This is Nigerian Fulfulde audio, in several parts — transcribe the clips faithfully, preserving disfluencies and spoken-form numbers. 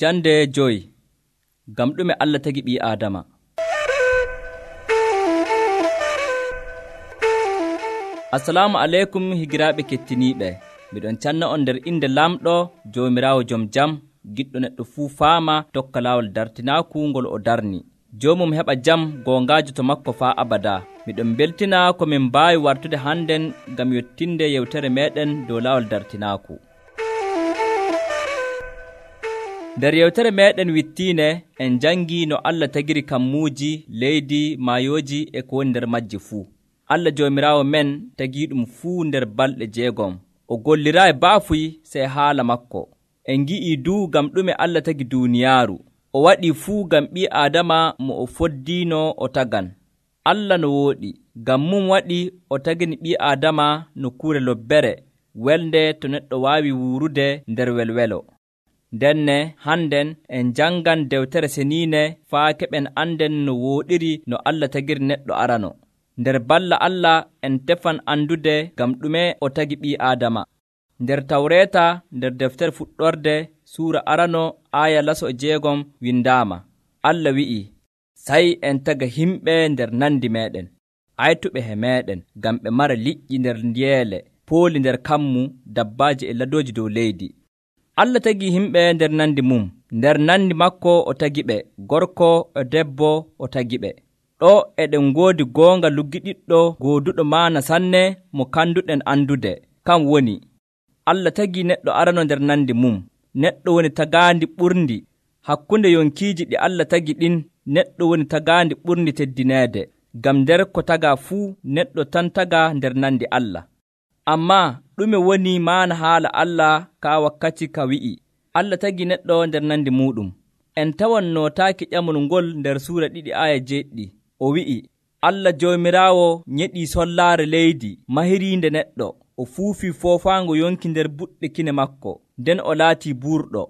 Jande joyi. Gam ɗume Allah tagi ɓii Aadama. Assalamu aleykum higiraaɓe kettiniiɓe. Miɗon canna on nder inde lamɗo Joomiraawo jom jam, giɗɗo neɗɗo fuu faama tokka laawol dartinaaku ngol o darni. Joomum heɓa jam goongaajo to makko faa abada. Miɗon beltina ko min mbaawi wartude hannden ngam yottinde yewtere meeɗen dow laawol dartinaaku. Nder yewtere meeɗen wittiine en jangii no Allah tagiri kammuuji, leydi, maayooji e ko woni nder majji fuu. Allah Joomiraawo men tagii ɗum fuu nder balɗe jeegom. O golliraayi baafuy sey haala makko. En ngi'ii duu ngam ɗume Allah tagi duuniyaaru. O waɗii fuu ngam ɓii Aadama mo o foddiino o tagan. Allah no wooɗi, ngam mum waɗi o tagini ɓii Aadama nokkuure lobbere, welde to neɗɗo waawi wuurude nder welwelo. Ndenne hannden en jangan dewtere seniine faa keɓen anden no wooɗiri no Allah tagiri neɗɗo arano. Nder balla Allah en tefan andude ngam ɗume o tagi ɓii Aadama. Nder Tawreeta nder deftere fuɗɗorde suura arano aaya laso e jeegom windaama. Allah wi'i, sai en taga himɓe nder nandi meɗen, aytuɓe he meɗen, ngam ɓe mara liƴƴi nder ndiyeele, pooli nder kammu, dabbaaji e ladooji dow leydi. Allah tagi himɓe nder nandi mum, nder nandi makko o tagi ɓe, gorko e debbo o tagi ɓe. Ɗo eɗen ngoodi goonga luggiɗiɗɗo gooduɗo maana sanne mo kanduɗen andude, kam woni Allah tagi neɗɗo arano nder nandi mum. Neɗɗo woni tagaandi ɓurndi hakkunde yonkiiji ɗi Allah tagi ɗin. Neɗɗo woni tagaandi ɓurndi teddineede, ngam nder ko tagaa fuu neɗɗo tan tagaa nder nandi Allah. Ammaa ɗume woni maana haala Allah ka wakkati ka wi'i Allah tagi neɗɗo nder nandi muuɗum? En tawan nootaaki ƴamol ngol nder suura ɗiɗi aaya jeeɗiɗi. O wi'i, Allah Joomiraawo nyeɗii sollaare leydi mahiriinde neɗɗo. O fuufii foofaango yonki nder buɗɗe kine makko, nden o laatii buurɗo.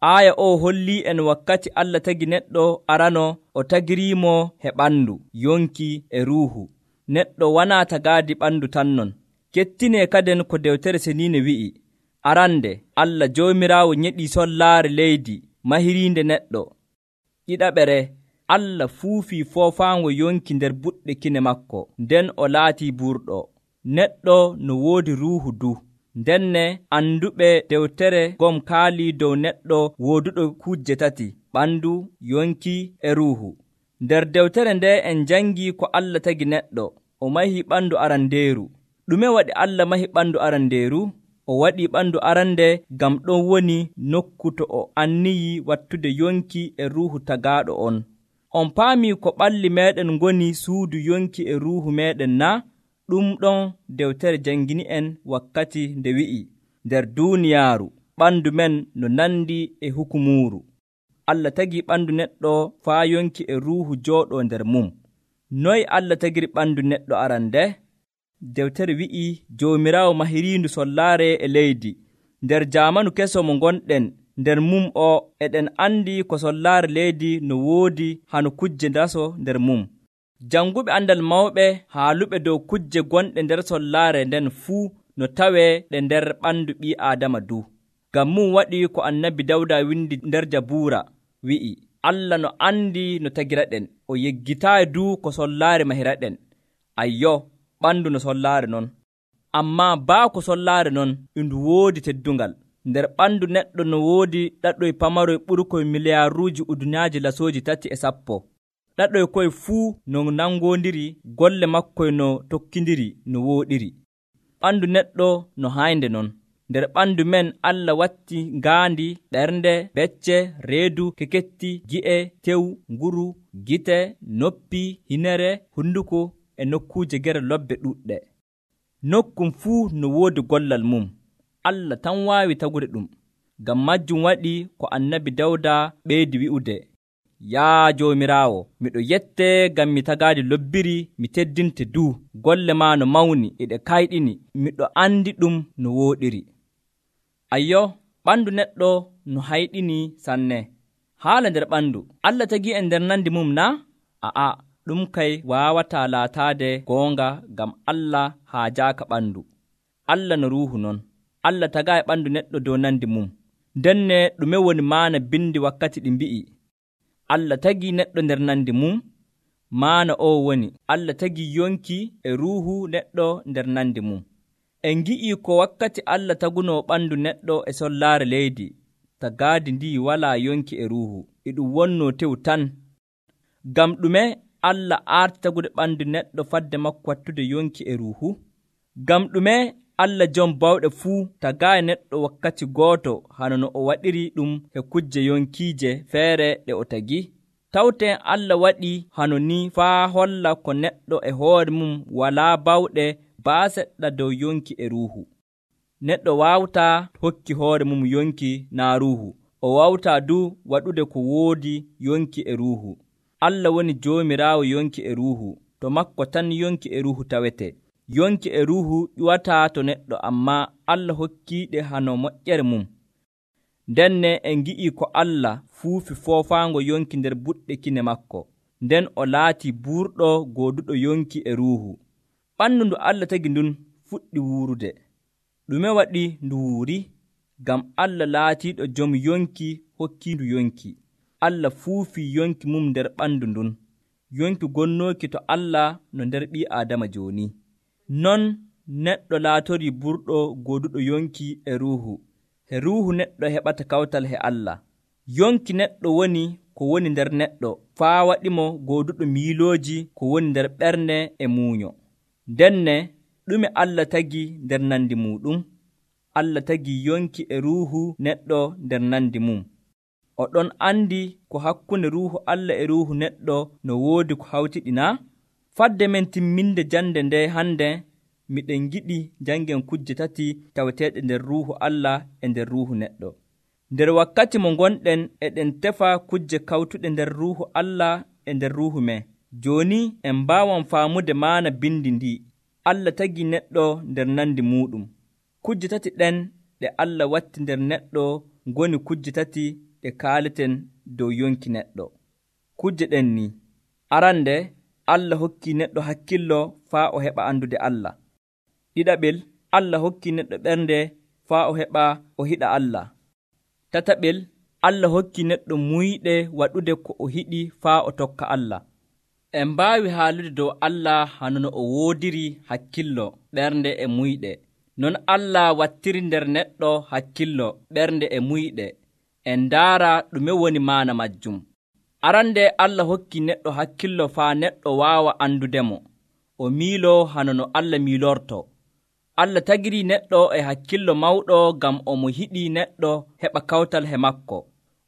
Aaya o hollii en wakkati Allah tagi neɗɗo arano o tagiriimo he ɓandu, yonki e ruuhu. Neɗɗo wanaa tagaadi ɓandu tan non. Kettinee kaden ko dewtere seniine wi'i, arande Allah Joomiraawo nyeɗii sollaare leydi mahiriinde neɗɗo. Ɗiɗaɓere, Allah fuufii foofaango yonki nder buɗɗe kine makko, nden o laatii buurɗo. Neɗɗo no woodi ruuhu du. Ndenne anduɓe dewtere gom kaalii dow neɗɗo wooduɗo kujje tati, ɓandu, yonki e ruuhu. Nder dewtere nde en jangii ko Allah tagi neɗɗo. O mahii ɓandu arandeeru. Ɗume waɗi Allah mahi ɓandu arandeeru? O waɗii ɓandu arande ngam ɗon woni nokku to o anniyi wattude yonki e ruuhu tagaaɗo on. On paamii ko ɓalli meeɗen ngoni suudu yonki e ruuhu meeɗen na? Ɗum ɗon dewtere jangini en wakkati nde wi'i, nder duuniyaaru ɓandu men no nandi e hukumuuru. Allah tagi ɓandu neɗɗo faa yonki e ruuhu jooɗoo nder mum. Noy Allah tagiri ɓandu neɗɗo arande? Dewtere wi'i Joomiraawo mahiriindu sollaare e leydi. Nder jaamanu keso mo gonɗen nder mum o eɗen andi ko sollaare leydi no woodi hano kujje daso nder mum. Janguɓe andal mawɓe haaluɓe dow kujje gonɗe nder sollaare nden fuu no tawee ɗe nder ɓandu ɓii Aadama du. Ngam mum waɗi ko annabi Dawda windi nder Jabuura wi'i, Allah no andi no tagiraɗen, o yeggitaayi du ko sollaare mahiraɗen. Ayyo, ɓandu no sollaare non. Ammaa baa ko sollaare non e ndu woodi teddungal. Nder ɓandu neɗɗo no woodi ɗaɗoy pamaroy ɓurkoy miliyaaruuji udunaaji lasooji tati e sappo. Ɗaɗoy koye fuu no nangoondiri, golle makkoy no tokkindiri no wooɗiri. Ɓandu neɗɗo no haynde non. Nder ɓandu men Allah watti ngaandi, ɓernde, becce, reedu, keketti, gi'e, tew, nguru, gite, noppi, hinere, hunduko e nokkuuje gere lobbe ɗuɗɗe. Nokkum fuu no woodi gollal mum. Allah tan waawi tagude ɗum. Ngam majjum waɗi ko annabi Dawda ɓeydi wi'ude, yaa Joomiraawo, miɗo yette ngam mi tagaadi lobbiri mi teddinte du. Golle ma no mawni e ɗe kayɗini, miɗo andi ɗum no wooɗiri. Ayyo, ɓandu neɗɗo no hayɗini sanne. Haala nder ɓandu, Allah tagi en nder nandi mum na? A'a, ɗum kay waawataa laataade goonga, ngam Allah haajaaka ɓandu. Allah no ruuhu non. Allah tagaay ɓandu neɗɗo dow nandi mum. Denne ɗume woni maana bindi wakkati ɗi mbi'i Allah tagii neɗɗo nder nandi mum? Maana o woni Allah tagii yonki e ruuhu neɗɗo nder nandi mum. En ngi'ii ko wakkati Allah tagunoo ɓandu neɗɗo e sollaare leydi, tagaadi ndi walaa yonki e ruuhu, e ɗum wonnoo tew tan. Ngam ɗume Allah aarti tagude ɓandu neɗɗo fadde makko wattude yonki e ruuhu? Ngam ɗume Allah jom bawɗe fuu tagaayi neɗɗo wakkati gooto hano no o waɗiri ɗum e kujje yonkiije feere ɗe o tagi? Tawten Allah waɗi hano ni faa holla ko neɗɗo e hoore mum walaa bawɗe baa seɗɗa dow yonki e ruuhu. Neɗɗo waawtaa hokki hoore mum yonki naa ruuhu, o waawtaa du waɗude ko woodi yonki e ruuhu. Allah woni Joomiraawo yonki e ruuhu, to makko tan yonki e ruuhu tawete. Yonki e ruuhu ƴuwataa to neɗɗo, ammaa Allah hokkiiɗe hano moƴƴere mum. Ndenne en ngi'ii ko Allah fuufi foofaango yonki nder buɗɗe kine makko, nden o laatii buurɗo gooduɗo yonki e ruuhu. Ɓandu ndu Allah tagi ndun fuɗɗi wuurude. Ɗume waɗi ndu wuuri? Ngam Allah laatiiɗo jom yonki hokkiindu yonki. Allah fuufii yonki mum nder ɓandu ndun. Yonki gonnooki to Allah no nder ɓii Aadama jooni. Non neɗɗo laatorii burɗo gooduɗo yonki e ruuhu. He ruuhu neɗɗo heɓata kawtal he Allah. Yonki neɗɗo woni ko woni nder neɗɗo, faa waɗimo gooduɗo miilooji ko woni nder ɓernde e muuño. Ndenne ɗume Allah tagi nder nandi muuɗum? Allah tagi yonki e ruuhu neɗɗo nder nandi mum. O ɗon andi ko hakkunde ruuhu Allah e ruuhu neɗɗo no woodi ko hawtiɗi naa? Fadde men timminde jande nde hande, miɗen giɗi jangen kujje tati taweteeɗe nder ruuhu Allah e nder ruuhu neɗɗo. Nder wakkati mo gonɗen eɗen tefa kujje kawtuɗe nder ruuhu Allah e nder ruuhu men. Jooni en mbaawan faamude maana bindi ndi. Allah tagi neɗɗo nder nandi muuɗum. Kujje tati ɗen ɗe Allah watti nder neɗɗo ngoni kujje tati ɗe kaaleten dow yonki neɗɗo. Kujje ɗen ni: arande, Allah hokki neɗɗo hakkillo faa o heɓa andude Allah. Ɗiɗaɓel, Allah hokki neɗɗo ɓernde faa o heɓa o hiɗa Allah. Tataɓel, Allah hokki neɗɗo muyɗe waɗude ko o hiɗi faa o tokka Allah. En mbaawi haalude dow Allah hano no o woodiri hakkillo, ɓernde e muyɗe. Non Allah wattiri nder neɗɗo hakkillo, ɓernde e muyɗe. En ndaara ɗume woni maana majjum. Arande Allah hokki neɗɗo hakkillo faa neɗɗo waawa andudemo. O miiloo hano no Allah miilorto. Allah tagiri neɗɗo e hakkillo mawɗo ngam omo hiɗi neɗɗo heɓa kawtal he makko.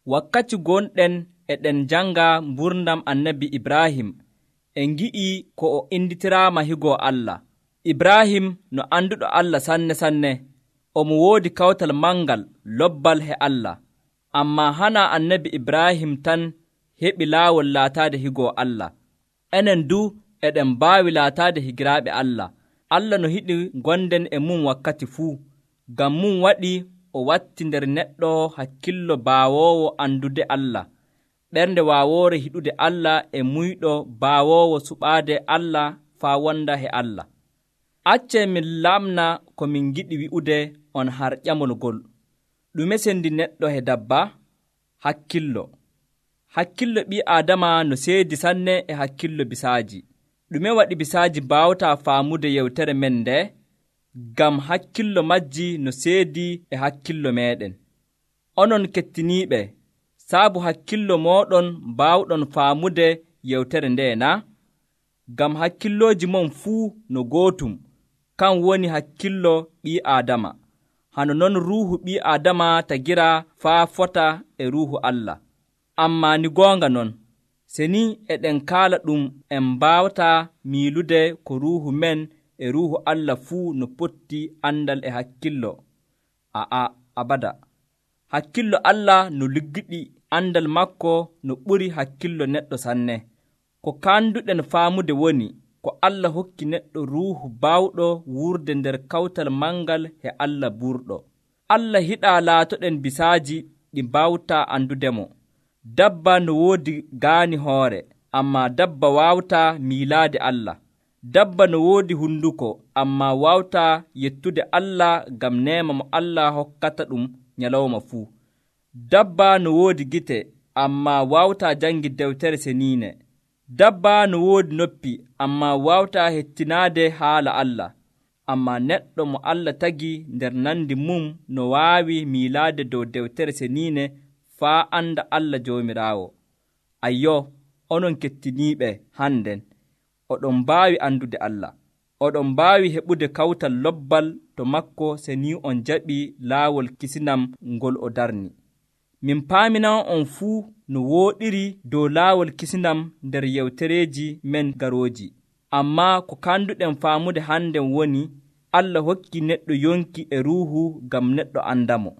Wakkati gonɗen eɗen janga mburdam annabi Ibrahim, en ngi'i ko o inditiraama higo Allah. Ibrahim no anduɗo Allah sanne sanne, omo woodi kawtal mangal lobbal he Allah. Ammaa hana annabi Ibrahim tan heɓi laawol laataade higo Allah. Enen du eɗen mbaawi laataade higiraaɓe Allah. Allah no hiɗi gonden e mum wakkati fuu. Ngam mum waɗi o watti nder neɗɗo hakkillo baawoowo andude Allah, ɓernde waawoore hiɗude Allah e muyɗo baawoowo suɓaade Allah faa wonda he Allah. Accee min lamna ko min giɗi wi'ude on har ƴamol ngol. Ɗume sendi neɗɗo he dabba? Hakkillo. Hakkillo ɓii Aadama no seedi sanne e hakkillo bisaaji. Ɗume waɗi bisaaji mbaawataa faamude yewtere men nde? Ngam hakkillo majji no seedi e hakkillo meeɗen. Onon kettiniiɓe, saabu hakkillo mooɗon mbaawɗon faamude yewtere nde na? Ngam hakkillooji mon fuu no gootum, kan woni hakkillo ɓii Aadama. Hano non ruuhu ɓii Aadama tagira faa fota e ruuhu Allah. Ammaa ni goonga non, se ni eɗen kaala ɗum en mbaawataa miilude ko ruuhu men e ruuhu Allah fuu no potti andal e hakkillo. A'a, abada. Hakkillo Allah no liggiɗi, andal makko no ɓuri hakkillo neɗɗo sanne. Ko kanduɗen faamude woni ko Allah hokki neɗɗo ruuhu baawɗo wurde nder kawtal mangal he Allah burɗo. Allah hiɗaa laatoɗen bisaaji ɗi mbawtaa andudemo. Dabba no woodi gaani hoore, ammaa dabba waawtaa miilaade Allah. Dabba no woodi hunduko, ammaa waawtaa yettude Allah ngam neema mo Allah hokkata ɗum nyalawma fuu. Dabba no woodi gite ammaa waawtaa jangi dewtere seniine. Dabba no woodi noppi ammaa waawtaa hettinaade haala Allah. Ammaa neɗɗo mo Allah tagi nder nandi mum no waawi miilaade dow dewtere seniine faa anda Allah Joomiraawo. Ayyo, onon kettiniiɓe hannden, oɗon mbaawi andude Allah. Oɗon mbaawi heɓude kawtal lobbal to makko se ni on jaɓii laawol kisinam ngol o darni. Min paaminanon on fuu no wooɗiri dow laawol kisinam nder yewtereeji men garooji. Ammaa ko kanduɗen faamude hannden woni Allah hokki neɗɗo yonki e ruuhu ngam neɗɗo andamo.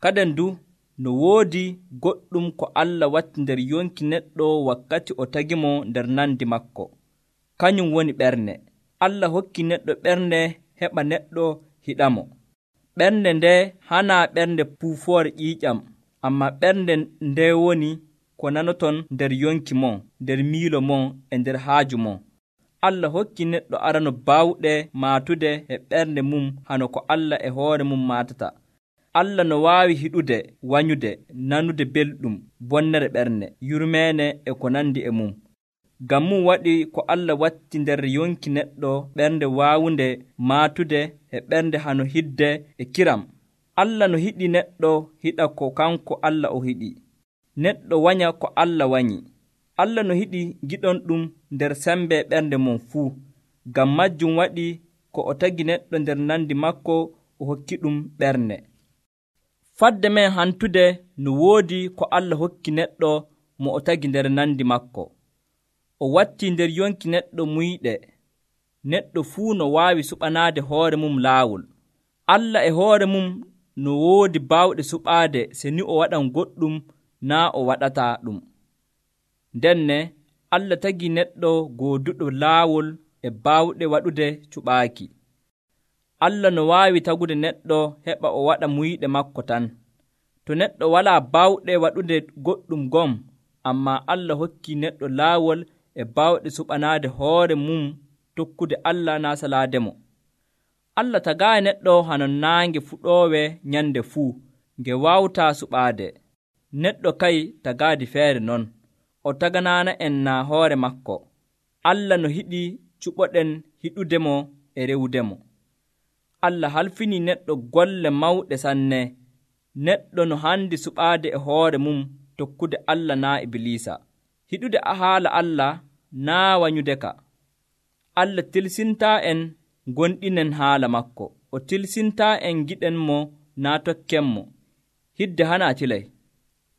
Kaden du no woodi goɗɗum ko Allah watti nder yonki neɗɗo wakkati o tagimo nder nandi makko. Kañum woni ɓernde. Allah hokki neɗɗo ɓernde heɓa neɗɗo hiɗamo. Ɓernde nde hanaa ɓernde puufoore ƴiiƴam, ammaa ɓernde nde woni ko nanoton nder yonki mon, nder miilo mon e nder haaju mon. Allah hokki neɗɗo arano baawɗe maatude e ɓernde mum hano ko Allah e hoore mum maatata. Allah no waawi hiɗude, wanyude, nanude belɗum, bonnere ɓernde, yurmeene e ko nandi e mum. Ngam mum waɗi ko Allah watti nder yonki neɗɗo ɓernde waawunde maatude e ɓernde hano hidde e kiram. Allah no hiɗi neɗɗo hiɗa ko kanko Allah o hiɗi. Neɗɗo wanya ko Allah wanyi. Allah no hiɗi giɗon ɗum nder sembe ɓernde mum fuu. Ngam majjum waɗi ko o tagi neɗɗo nder nandi makko o hokki ɗum ɓernde. Fadde men hantude no woodi ko Allah hokki neɗɗo mo o tagi nder nandi makko. O watti nder yonki neɗɗo muyɗe. Neɗɗo fuu no waawi suɓanaade hoore mum laawol. Allah e hoore mum no woodi baawɗe suɓaade se ni o waɗan goɗɗum naa o waɗataa ɗum. Ndenne Allah tagi neɗɗo gooduɗo laawol e baawɗe waɗude cuɓaaki. Allah no waawi tagude neɗɗo heɓa o waɗa muyɗe makko tan. To neɗɗo walaa baawɗe waɗude goɗɗum gom, ammaa Allah hokki neɗɗo laawol e baawɗe suɓanaade hoore mum tokkude Allah naa salaademo. Allah tagaayi neɗɗo hano naange fuɗoowe nyande fuu, nge waawtaa suɓaade. Neɗɗo kay tagaadi feere non, o taganaana en naa hoore makko. Allah no hiɗi cuɓoɗen hiɗudemo e rewudemo. Allah halfinii neɗɗo golle mawɗe sanne. Neɗɗo no handi suɓaade e hoore mum tokkude Allah naa Ibliisa. Hiɗude a haala Allah naa wanyude ka. Allah tilsintaa en gonɗinen haala makko. O tilsintaa en giɗen mo naa tokken mo. Hidde hanaa tilay.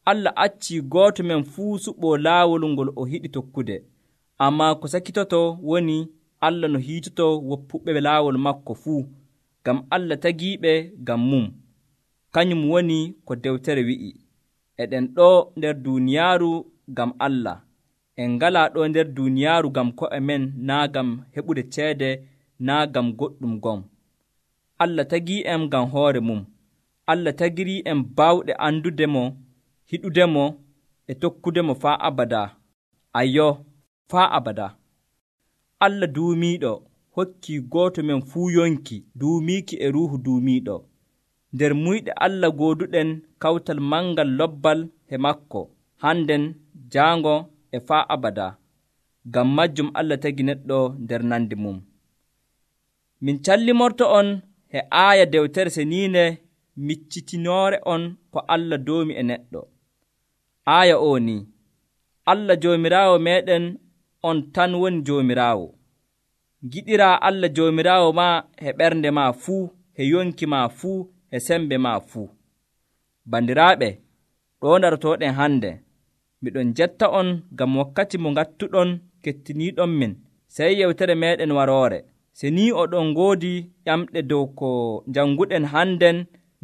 Allah accii gooto men fuu suɓoo laawol ngol o hiɗi tokkude. Ammaa ko sakitoto woni Allah no hiitoto woppuɓe laawol makko fuu, ngam Allah tagiiɓe ngam mum. Kañum woni ko dewtere wi'i. Eɗen ɗo nder duuniyaaru ngam Allah. En ngalaa ɗo nder duuniyaaru ngam ko'e men naa ngam heɓude ceede naa ngam goɗɗum gom. Allah tagii'en ngam hoore mum. Allah tagirii en baawɗe andude mo, hiɗude mo e tokkude mo faa abada. Ayyo, faa abada. Allah duumiiɗo hokkii gooto men fuu yonki duumiiki e ruuhu duumiiɗo. Nder muyɗe Allah gooduɗen kawtal mangal lobbal he makko, hannden jaango e faa abada. Ngam majjum Allah tagi neɗɗo nder nandi mum. Min callimorto on he aaya dewtere seniine miccitinoore on ko Allah doomi e neɗɗo. Aaya o ni: Allah Joomiraawo meɗen on tan woni Joomiraawo. Giɗiraa Allah Joomiraawo ma he ɓernde ma fuu, he yonki ma fuu, he sembe ma fuu. Bandiraaɓe, ɗo darotooɗen hande, miɗon jetta on ngam wakkati mo ngattuɗon kettiniiɗon min, sey yewtere meɗen waroore. Se ni oɗon ngoodi ƴamɗe dow ko janguɗen hannden,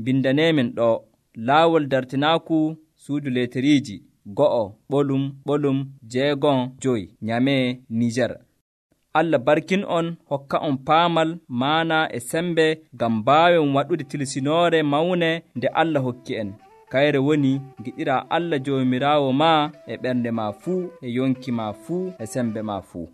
bindaneemin ɗo laawol dartinaaku suudu leteriiji go'o ɓolum ɓolum jeegon joyi Nyamee, Niger. Allah barkin on, hokka on paamal, maana e sembe ngam mbaawen waɗude tilsinoore mawne nde Allah hokki en. Kayre woni giɗiraa Allah Joomiraawo ma e ɓernde ma fuu, e yonki ma fuu, e sembe ma fuu.